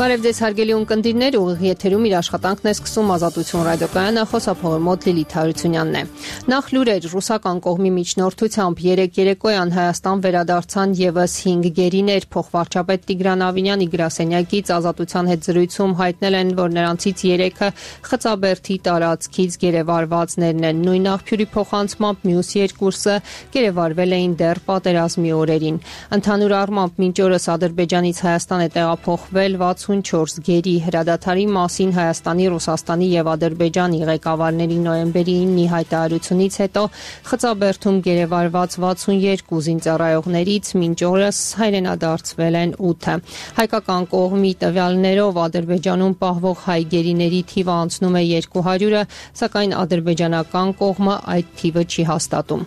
Բարև ձեզ հարգելի ունկնդիրներ, ուղիղ եթերում իր աշխատանքն է սկսում Ազատություն ռադիոկայանը, խոսափողը մոտ Լիլիթ Հարությունյանն է։ Նախ լուրեր, ռուսական կողմի միջնորդությամբ երեկոյան Հայաստան վերադարձան եւս 5 գերիներ, փոխվարչապետ Տիգրան Ավինյանի գրասենյակից Ազատության հետ զրույցում հայտնել են, որ նրանցից 3-ը Խծաբերդի տարածքից գերեվարվածներն են, նույն աղբյուրի փոխանցմամբ մյուս 2-ը գերեվարվել էին դեռ պատերազմի օրերին։ Ընդհանուր առմամբ մինչ օրս Ադրբեջանից Հայաստան է տեղափոխվել 64 գերի հրադադարի մասին Հայաստանի, Ռուսաստանի եւ Ադրբեջանի ղեկավարների նոյեմբերի 9-ի հայտարարությունից հետո Խծաբերդում գերեվարված 62 զինծառայողներից մինչ օրս հայրենադարձվել են 8-ը։ Հայկական կողմի տվյալներով Ադրբեջանում պահվող հայ գերիների թիվը անցնում է 200-ը, սակայն ադրբեջանական կողմը այդ թիվը չի հաստատում։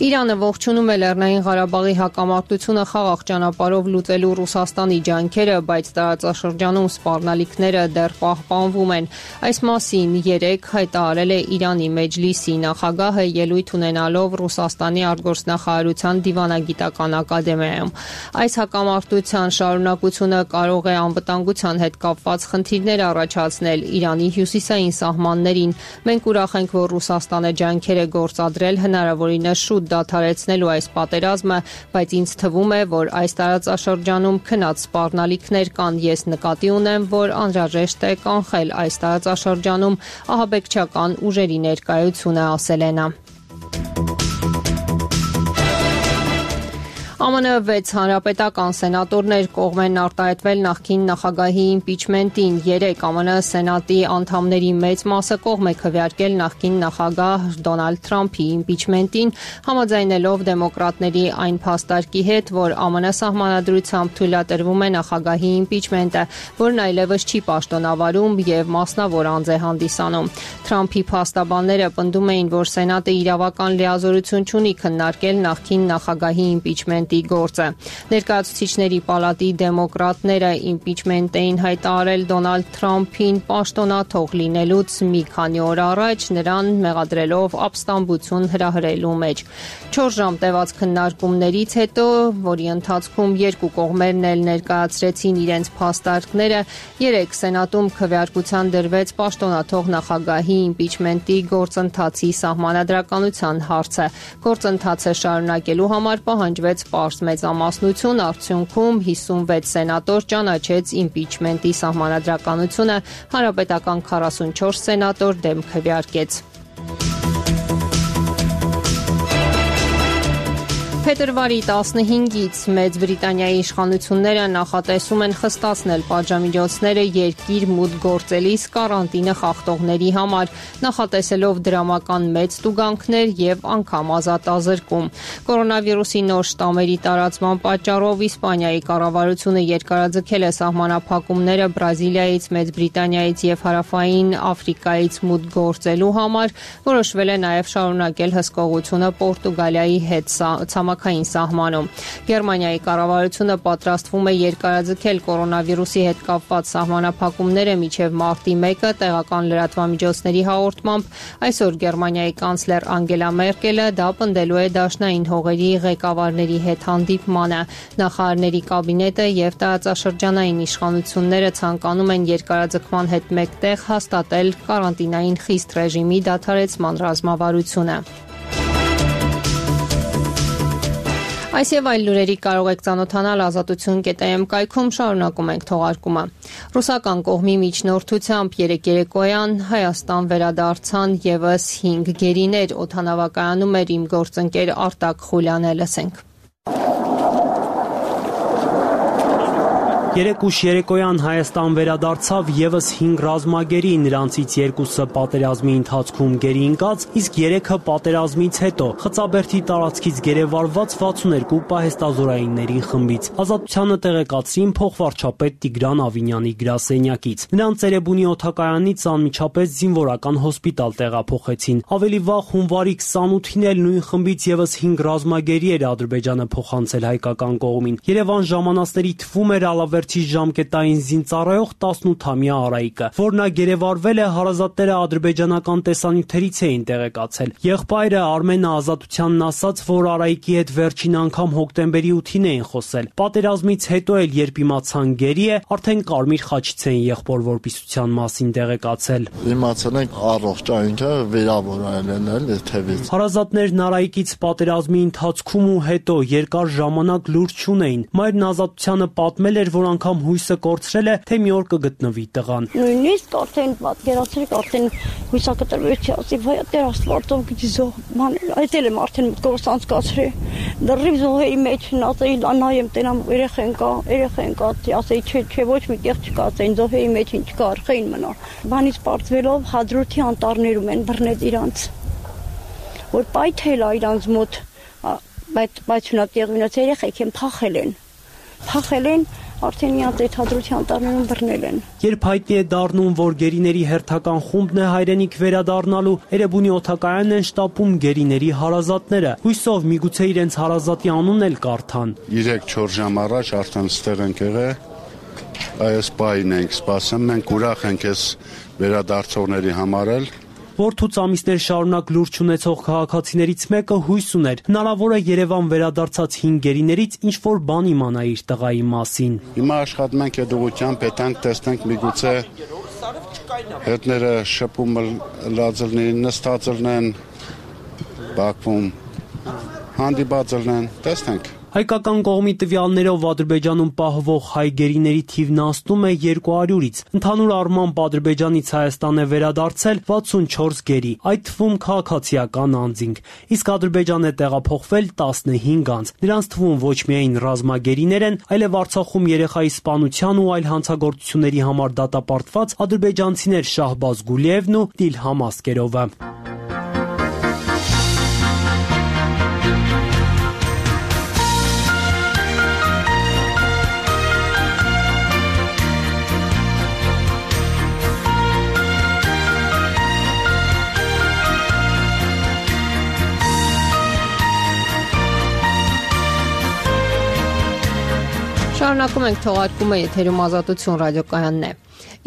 Իրանը ողջունում է Լեռնային Ղարաբաղի հակամարտությունը խաղաղ ճանապարհով լուծելու Ռուսաստանի ջանքերը, բայց տարածաշրջանում սպառնալիքները դեռ պահպանվում են։ Այս մասին 3 հայտարարել է Իրանի Մեջլիսի նախագահը ելույթ ունենալով Ռուսաստանի արտգործնախարարության դիվանագիտական ակադեմիայում։ Այս հակամարտության շարունակությունը կարող է անվտանգության հետ կապված խնդիրներ առաջացնել Իրանի հյուսիսային սահմաններին։ Մենք ուրախ ենք, որ Ռուսաստանը ջանքեր է գործադրել հնարավորինս շուտ դադարեցնելու այս պատերազմը, բայց ինձ թվում է, որ այս տարածաշրջանում քնած սպառնալիքներ կան։ Ես նկատի ունեմ, որ անհրաժեշտ է կանխել այս տարածաշրջանում ահաբեկչական ուժերի ներկայությունը, ասել է նա։ ԱՄՆ 6 հանրապետական սենատորներ կողմ են արտահայտվել նախկին նախագահի իմպիչմենտին։ 3 ԱՄՆ սենատի անդամների մեծ մասը կողմ է քվեարկել նախկին նախագահ Դոնալդ Թրամփի իմպիչմենտին, համաձայնելով դեմոկրատների այն փաստարկի հետ, որ ԱՄՆ սահմանադրությամբ թույլատրվում է նախագահի իմպիչմենտը, որն այլևս չի պաշտոնավարում եւ մասնավոր անձ է հանդիսանում։ Թրամփի փաստաբանները պնդում էին, որ սենատը իրավական լիազորություն չունի քննարկել նախկին նախագահի իմպիչմենտի գործը։ Ներկայացուցիչների պալատի դեմոկրատները իմպիչմենտ էին հայտարարել Դոնալդ Թրամփին պաշտոնաթող լինելուց մի քանի օր առաջ, նրան մեղադրելով ապստամբություն հրահրելու մեջ։ 4 ժամ տևած քննարկումներից հետո, որի ընթացքում երկու կողմերն էլ ներկայացրեցին իրենց փաստարկները, 3 սենատում քվեարկության դրվեց պաշտոնաթող նախագահի իմպիչմենտի գործընթացի սահմանադրականության հարցը։ Գործընթացը շարունակելու համար պահանջվեց պարզ մեծամասնություն, արդյունքում 56 սենատոր ճանաչեց իմպիչմենտի սահմանադրականությունը, հանրապետական 44 սենատոր դեմ քվեարկեց։ Փետրվարի 15-ից Մեծ Բրիտանիայի իշխանությունները նախատեսում են խստացնել պատժամիջոցները երկիր մուտք գործելիս կարանտինը խախտողների համար, նախատեսելով դրամական մեծ տուգանքներ եւ անգամ ազատազրկում։ Կորոնավիրուսի նոր շտամերի տարածման պատճառով Իսպանիայի կառավարությունը երկարաձգել է սահմանափակումները Բրազիլիայից, Մեծ Բրիտանիայից եւ Հարավային Աֆրիկայից մուտք գործելու համար, որոշվել է նաեւ շարունակել հսկողությունը Պորտուգալիայի հետ ցամաքային սահմանում։ Գերմանիայի կառավարությունը պատրաստվում է երկարաձգել կորոնավիրուսի հետ կապված սահմանափակումները մինչև մարտի 1-ը տեղական լրատվամիջոցների հաղորդմամբ։ Այսօր Գերմանիայի կանցլեր Անգելա Մերկելը դա պնդելու է դաշնային հողերի ղեկավարների հետ հանդիպմանը։ Նախարարների կաբինետը եւ տարածաշրջանային իշխանությունները ցանկանում են երկարաձգման հետ մեկտեղ հաստատել կարանտինային խիստ ռեժիմի դադարեցման ռազմավարությունը։ Այս եւ այլ լուրերի կարող եք ծանոթանալ ազատություն.am կայքում, շարունակում ենք թողարկումը։ Ռուսական կողմի միջնորդությամբ երեկոյան Հայաստան վերադարձան եւս 5 գերիներ, օդանավակայանում էր իմ գործընկեր Արտակ Խուլյանը, լսենք։ Երեկուշ երեկոյան Հայաստան վերադարձավ եւս 5 ռազմագերի, նրանցից 2-ը պատերազմի ընթացքում գերի ընկած, իսկ 3-ը պատերազմից հետո Խծաբերդի տարածքից գերեվարված 62 պահեստազորայինների խմբից։ Ազատությանը տեղեկացրին փոխվարչապետ Տիգրան Ավինյանի գրասենյակից։ Նրանց Ծերեբունի օդակայանից անմիջապես զինվորական հոսպիտալ տեղափոխեցին։ Ավելի վաղ հունվարի 28-ին էլ նույն խմբից եւս 5 ռազմագերի էր Ադրբեջանը փոխանցել հայկական կողմին։ Երևան ժամանածների թվում էր Ալավեր կարգավերջի ժամկետային զինծառայող 18-ամյա Արայիկը, որ նա գերեվարվել է, հարազատները ադրբեջանական տեսանյութերից էին տեղեկացել։ Եղբայրը Արմենը Ազատությանն ասաց, որ Արայիկի հետ վերջին անգամ հոկտեմբերի 8-ին էին խոսել։ Պատերազմից հետո էլ երբ իմացան գերի է, արդեն Կարմիր խաչից էին եղբոր որպիսության մասին տեղեկացել։ Իմացել ենք առողջ այնքը վերավորել են էլ թևից։ Հարազատներն Արայիկից պատերազմի ընթացքում ու հետո երկար ժամանակ լուր չունեին։ Մայրն Ազատությանը պատմել էր, որ անգամ հույսը կորցրել է, թե մի օր կգտնվի տղան։ Նույնիսկ արդեն պատկերացրեք, արդեն հույսակտրվեցի, ասի վայ Տեր Աստվածով գիտի զոհ մանել, այդել եմ արդեն մտքովս անցկացրել։ Դեռիվ զոհերի մեջ նացեի նայեմ տենամ երեխեն կա, ասեի չէ, ոչ մի տեղ չկա, ասեին զոհերի մեջ ինչ կա, արխային մնա։ Բանից պարտվելով հադրութի անտառներում են բռնել իրանց, որ պայթել է իրանց մոտ, բայց նա տեղ մնաց երեխեք են փախել են, արդեն իրանց այդ հադրութի անտառներում բռնել են։ Երբ հայտնի է դառնում, որ գերիների հերթական խումբն է հայրենիք վերադառնալու, Էրեբունի օդակայանն են շտապում գերիների հարազատները, հույսով միգուցե իրենց հարազատի անունն էլ կարդան։ 3-4 ժամ առաջ արդեն ստեղ ենք եղել, այս պահին ենք սպասում, մենք ուրախ ենք այս վերադարձողների համար էլ։ Որդուց ամիսներ շարունակ լուր չունեցող քաղաքացիներից մեկը հույս ուներ, հնարավոր է Երևան վերադարձած 5 գերիներից ինչ-որ բան իմանա իր տղայի մասին։ Հիմա աշխատում ենք այդ ուղղությամբ, հետանք տեսնենք միգուցե հետները շփում լազելնեն, նստածելնեն, Բաքվում հանդիպածելնեն, տեսնենք։ Հայկական կողմի տվյալներով Ադրբեջանում պահվող հայ գերիների թիվն անցնում է 200-ից։ Ընդհանուր առմամբ Ադրբեջանից Հայաստան է վերադարձել 64 գերի, այդ թվում քաղաքացիական անձինք։ Իսկ Ադրբեջան է տեղափոխվել 15 անձ։ Նրանց թվում ոչ միայն ռազմագերիներ են, այլև Արցախում երեխայի սպանության ու այլ հանցագործությունների համար դատապարտված ադրբեջանցիներ Շահբազ Գուլիևն ու Դիլհամ Ասկերովը։ Շարունակում ենք թողարկումը եթերում Ազատություն ռադիոկայանն է։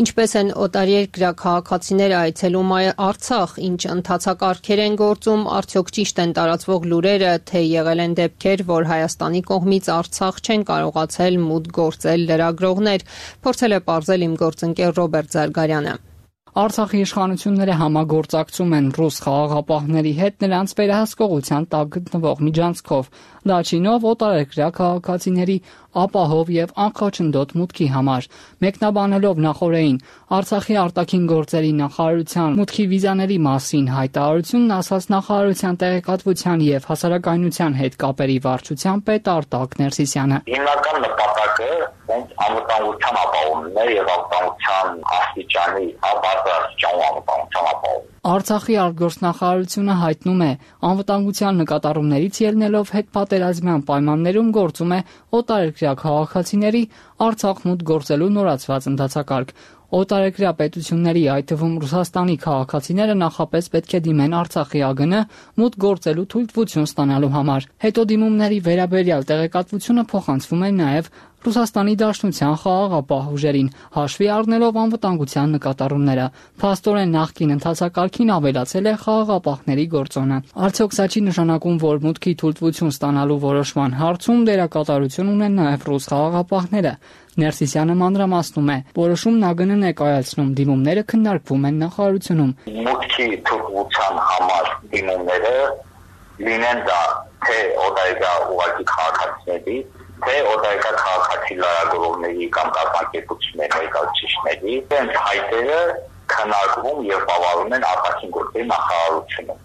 Ինչպես են օտարերկրյա քաղաքացիները այցելում Արցախ, ինչ ընթացակարգեր են գործում, արդյոք ճիշտ են տարածվող լուրերը, թե եղել են դեպքեր, որ Հայաստանի կողմից Արցախ չեն կարողացել մուտք գործել լրագրողներ, փորձել է պարզել իմ գործընկեր Ռոբերտ Զարգարյանը։ Արցախի իշխանությունները համագործակցում են ռուս խաղաղապահների հետ նրանց վերահսկողության տակ գտնվող միջանցքով, Լաչինով օտարերկրյա քաղաքացիների ապահով եւ անխոչնդոտ մուտքի համար։ Մեկնաբանելով նախորդին Արցախի արտաքին գործերի նախարարության մուտքի վիզաների մասին հայտարարությունն ասաց նախարարության տեղեկատվության եւ հասարակայնության հետ կապերի վարչության պետ Արտակ Ներսիսյանը։ Հիմնական նպատակը անվտանգության ապահովումն է եւ անվտանգության աստիճանի ապահովում։ Արցախի արտգործնախարարությունը հայտնում է, անվտանգության նկատառումներից ելնելով հետպատերազմյան պայմաններում գործում է օտարերկրյա քաղաքացիների Արցախ մուտք գործելու նորացված ընթացակարգ։ Օտարերկրյա պետությունների, այդ թվում Ռուսաստանի քաղաքացիները նախապես պետք է դիմեն Արցախի ԱԳՆ մուտք գործելու թույլտվություն ստանալու համար։ Հետո դիմումների վերաբերյալ տեղեկատվությունը փոխանցվում է նաև Ռուսաստանի Դաշնության խաղաղապահ ուժերին, հաշվի առնելով անվտանգության նկատառումները։ Փաստորեն նախկին ընթացակարգին ավելացել է խաղաղապահների գործոնը։ Արդյոք սա չի նշանակում, որ մուտքի թույլտվություն ստանալու որոշման հարցում դերակատարություն ունեն նաև ռուս խաղաղապահները։ Ներսիսյանը մանրամասնում է, որոշումն ԱԳՆ-ն է կայացնում, դիմումները քննարկվում են նախարարությունում։ Մուտքի թույլտվության համար դիմումները լինեն դա թե օտարերկրյա ուղղակի քաղաքացիների, թե օտարերկրյա քաղաքացի լրագրողների կամ կազմակերպությունների ներկայացուցիչների, դրանց հայտերը քննարկվում եւ բավարարում են արտաքին գործերի նախարարությունում։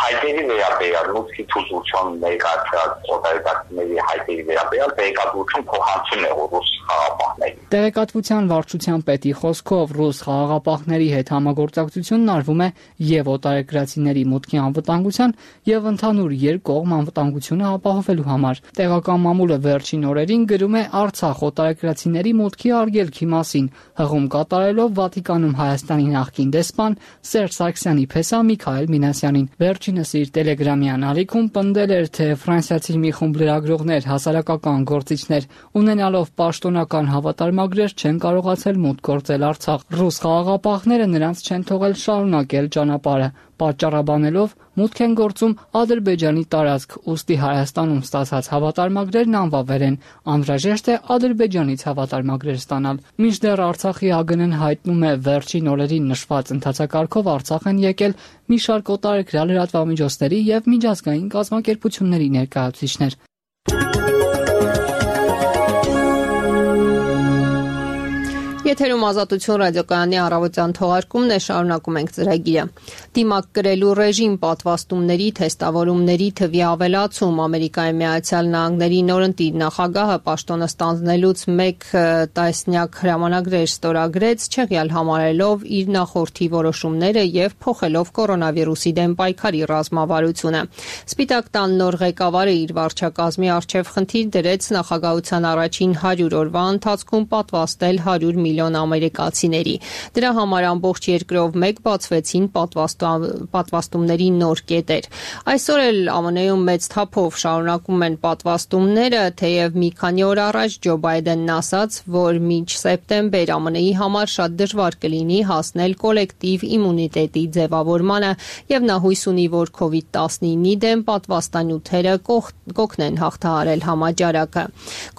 Հայտերի վերաբերյալ մուտքի թույլտվություն ներկայացրած օտարերկրյաների հայտերի վերաբերյալ տեղեկատվություն փոխանցում է ռուս խաղաղապահներին։ Տեղեկատվության վարչության պետի խոսքով ռուս խաղաղապահների հետ համագործակցությունն արվում է եւ օտարերկրացիների մուտքի անվտանգության եւ ընդհանուր երկկողմ անվտանգությունը ապահովելու համար։ Տեղական մամուլը վերջին օրերին գրում է Արցախ օտարերկրացիների մուտքի արգելքի մասին, հղում կատարելով Վատիկանում Հայաստանի նախկին դեսպան Սերժ Սարգսյանի փեսա Միքայել Մինասյանին։ վերջինս իր Telegram-յան ալիքում պնդել էր, թե ֆրանսիացի մի խումբ լրագրողներ, հասարակական գործիչներ ունենալով պաշտոնական հավատարմագրեր չեն կարողացել մուտք գործել Արցախ։ Ռուս խաղաղապահները նրանց չեն թողել շարունակել ճանապարհը, պատճառաբանելով մուտք են գործում Ադրբեջանի տարածք, ուստի Հայաստանում ստացած հավատարմագրերն անվավեր են։ Անհրաժեշտ է Ադրբեջանից հավատարմագրեր ստանալ։ Մինչդեռ Արցախի ԱԳՆ-ն հայտնում է վերջին օրերին նշված ընթացակարգով Արցախ են եկել մի շարք օտարերկրյա լրատվամիջոցների եւ միջազգային կազմակերպությունների ներկայացուցիչներ։ Եթերում Ազատություն ռադիոկայանի առավոտյան թողարկումն է, շարունակում ենք ծրագիրը։ Դիմակ կրելու ռեժիմ, պատվաստումների, թեստավորումների թվի ավելացում, Ամերիկայի Միացյալ Նահանգների նորընտիր նախագահը պաշտոնը ստանձնելուց 1 տասնյակ հրամանագրեր ստորագրեց, չեղյալ համարելով իր նախորդի որոշումները եւ փոխելով կորոնավիրուսի դեմ պայքարի ռազմավարությունը։ Սպիտակ տան նոր ղեկավարը իր վարչակազմի առջև խնդիր դրեց նախագահության առաջին 100 օրվա ընթացքում պատվաստել 100 միլիոն ամերիկացիների։ Դրա համար ամբողջ երկրով մեկ բացվեցին պատվաստումների նոր կետեր։ Այսօր էլ ԱՄՆ-ում մեծ թափով շարունակում են պատվաստումները, թեև մի քանի օր առաջ Ջո Բայդենն ասաց, որ մինչ սեպտեմբեր ԱՄՆ-ի համար շատ դժվար կլինի հասնել կոլեկտիվ իմունիտետի ձևավորմանը, եւ նա հույս ունի, որ COVID-19-ի դեմ պատվաստանյութերը կօգնեն հաղթահարել համաճարակը։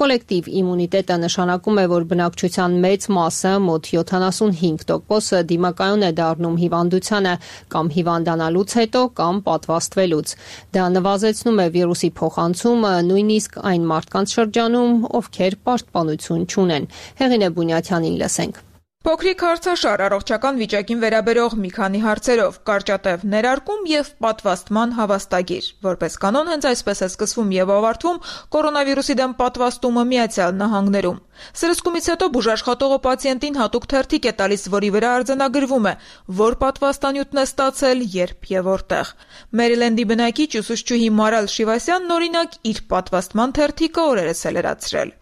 Կոլեկտիվ իմունիտետը նշանակում է, որ բնակչության մեծ մասը մոտ 75% դիմակայուն է դառնում հիվանդությանը կամ հիվանդանալուց հետո կամ պատվաստվելուց։ Դա նվազեցնում է վիրուսի փոխանցումը նույնիսկ այն մարդկանց շրջանում, ովքեր պաշտպանություն չունեն։ Հեղինե Բունյաթյանին լսենք։ Փոքրիկ հարցաշար առողջական վիճակին վերաբերող մի քանի հարցերով, կարճատև ներարկում եւ պատվաստման հավաստագիր։ Որպես կանոն հենց այսպես է սկսվում եւ ավարտվում կորոնավիրուսի դեմ պատվաստումը Միացյալ Նահանգներում։ Սրսկումից հետո բուժաշխատողը պացիենտին հատուկ թերթիկ է տալիս, որի վրա արձանագրվում է, որ պատվաստանյութն է ստացել, երբ եւ որտեղ։ Մերիլենդի բնակիչ ուսուցչուհի Մարալ Շիվասյանն օրինակ իր պատվաստման թերթիկը օրերս է լրացրել։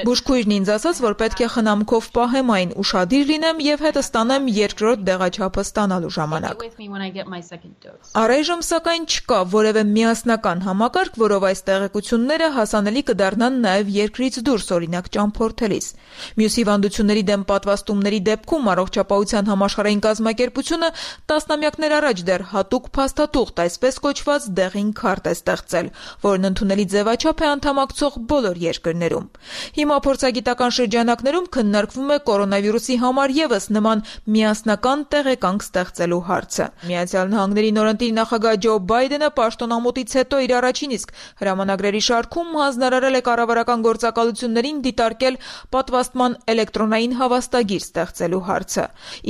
Բուժքույրն ինձ ասաց, որ պետք է խնամքով պահեմ այն, ուշադիր լինեմ եւ հետը ստանեմ երկրորդ դեղաչափը ստանալու ժամանակ։ Առայժմ սակայն չկա որևէ միասնական համակարգ, որով այս տեղեկությունները հասանելի կդառնան նաեւ երկրից դուրս, օրինակ ճամփորդելիս։ Մյուս հիվանդությունների դեմ պատվաստումների դեպքում առողջապահության համաշխարհային կազմակերպությունը տասնամյակներ առաջ դեռ հատուկ փաստաթուղթ, այսպես կոչված դեղին քարտ է ստեղծել, որն ընդունելի ձևաչափ է անդամակցող բոլոր երկրներում։ Հիմա փորձագիտական շրջանակներում քննարկվում է կորոնավիրուսի համար եւս նման միասնական տեղեկանք ստեղծելու հարցը։ Միացյալ Նահանգների նորընտիր նախագահ Ջո Բայդենը պաշտոնամուտից հետո իր առաջին իսկ հրամանագրերի շարքում հանձնարարել է կառավարական գործակալություններին դիտարկել պատվաստման էլեկտրոնային հավաստագիր ստեղծելու հարցը։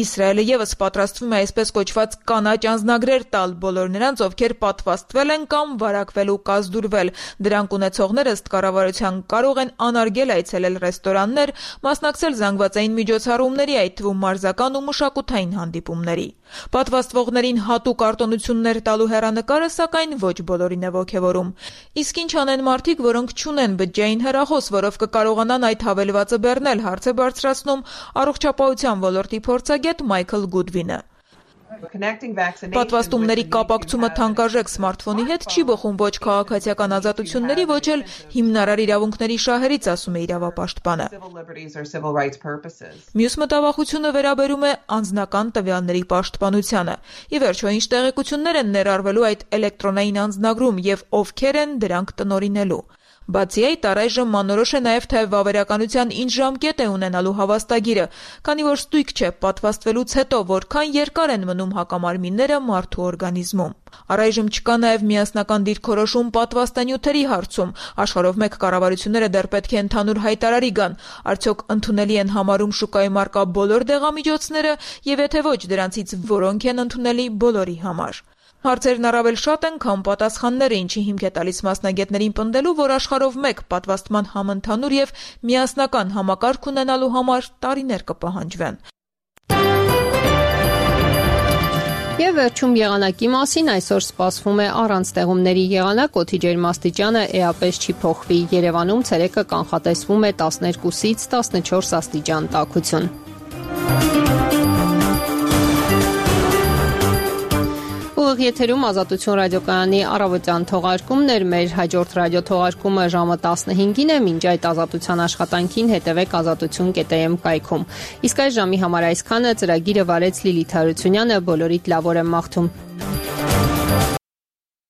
Իսրայելը եւս պատրաստվում է այսպես կոչված կանաչ անձնագրեր տալ բոլոր նրանց, ովքեր պատվաստվել են կամ վարակվել ու կազդուրվել։ Դրանք ունեցողները ըստ կառավարության կարող են անարգել այցելել ռեստորաններ, մասնակցել զանգվածային միջոցառումների, այդ թվում մարզական ու մշակութային հանդիպումների։ Պատվաստվողներին հատուկ արտոնություններ տալու հեռանկարը սակայն ոչ բոլորին է ոգևորում։ Իսկ ինչ անեն մարդիկ, որոնք չունեն բջջային հեռախոս, որով կկարողանան այդ հավելվածը բեռնել, հարց է բարձրացնում առողջապահության ոլորտի փորձագետ Մայքլ Գուդվինը։ Պատվաստումների կապակցումը թանկարժեք սմարթֆոնի հետ չի բխում ոչ քաղաքացիական ազատությունների, ոչ էլ հիմնարար իրավունքների շահերից, ասում է իրավապաշտպանը։ Մյուս մտավախությունը վերաբերում է անձնական տվյալների պաշտպանությանը։ Ի վերջո, ինչ տեղեկություններ են ներառվելու այդ էլեկտրոնային անձնագրում եւ ովքեր են դրանք տնօրինելու։ Բացի այդ, առայժմ մանորոշ է նաև թե վավերականության ինչ ժամկետ է ունենալու հավաստագիրը, քանի որ ստույգ չէ պատվաստվելուց հետո որքան երկար են մնում հակամարմինները մարդու օրգանիզմում։ Առայժմ չկա նաև միասնական դիրքորոշում պատվաստանյութերի հարցում։ Աշխարհով մեկ կառավարությունները դեռ պետք է ընդհանուր հայտարարի գան, արդյոք ընդունելի են համարում շուկայում առկա բոլոր դեղամիջոցները եւ եթե ոչ, դրանցից որոնք են ընդունելի բոլորի համար։ Հարցերն առավել շատ են, քան պատասխանները, ինչի հիմք է տալիս մասնագետներին պնդելու, որ աշխարհով մեկ պատվաստման համընդհանուր եւ միասնական համակարգ ունենալու համար տարիներ կպահանջվեն։ Եվ վերջում եղանակի մասին այսօր սպասվում է առանց տեղումների եղանակ, օդի ջերմաստիճանը էապես չի փոխվի։ Երևանում ցերեկը կանխատեսվում է 12-ից 14 աստիճան տաքություն։ Ուղիղ եթերում Ազատություն ռադիոկայանի առավոտյան թողարկումն էր, մեր հաջորդ ռադիո թողարկումը ժամը 15-ին է, մինչ այդ ազատության աշխատանքին հետևեք azatutun.am կայքում։ Իսկ այս ժամի համար այսքանը, ծրագիրը վարեց Լիլիթ Հարությունյանը, բոլորիդ լավ օր եմ մաղթում։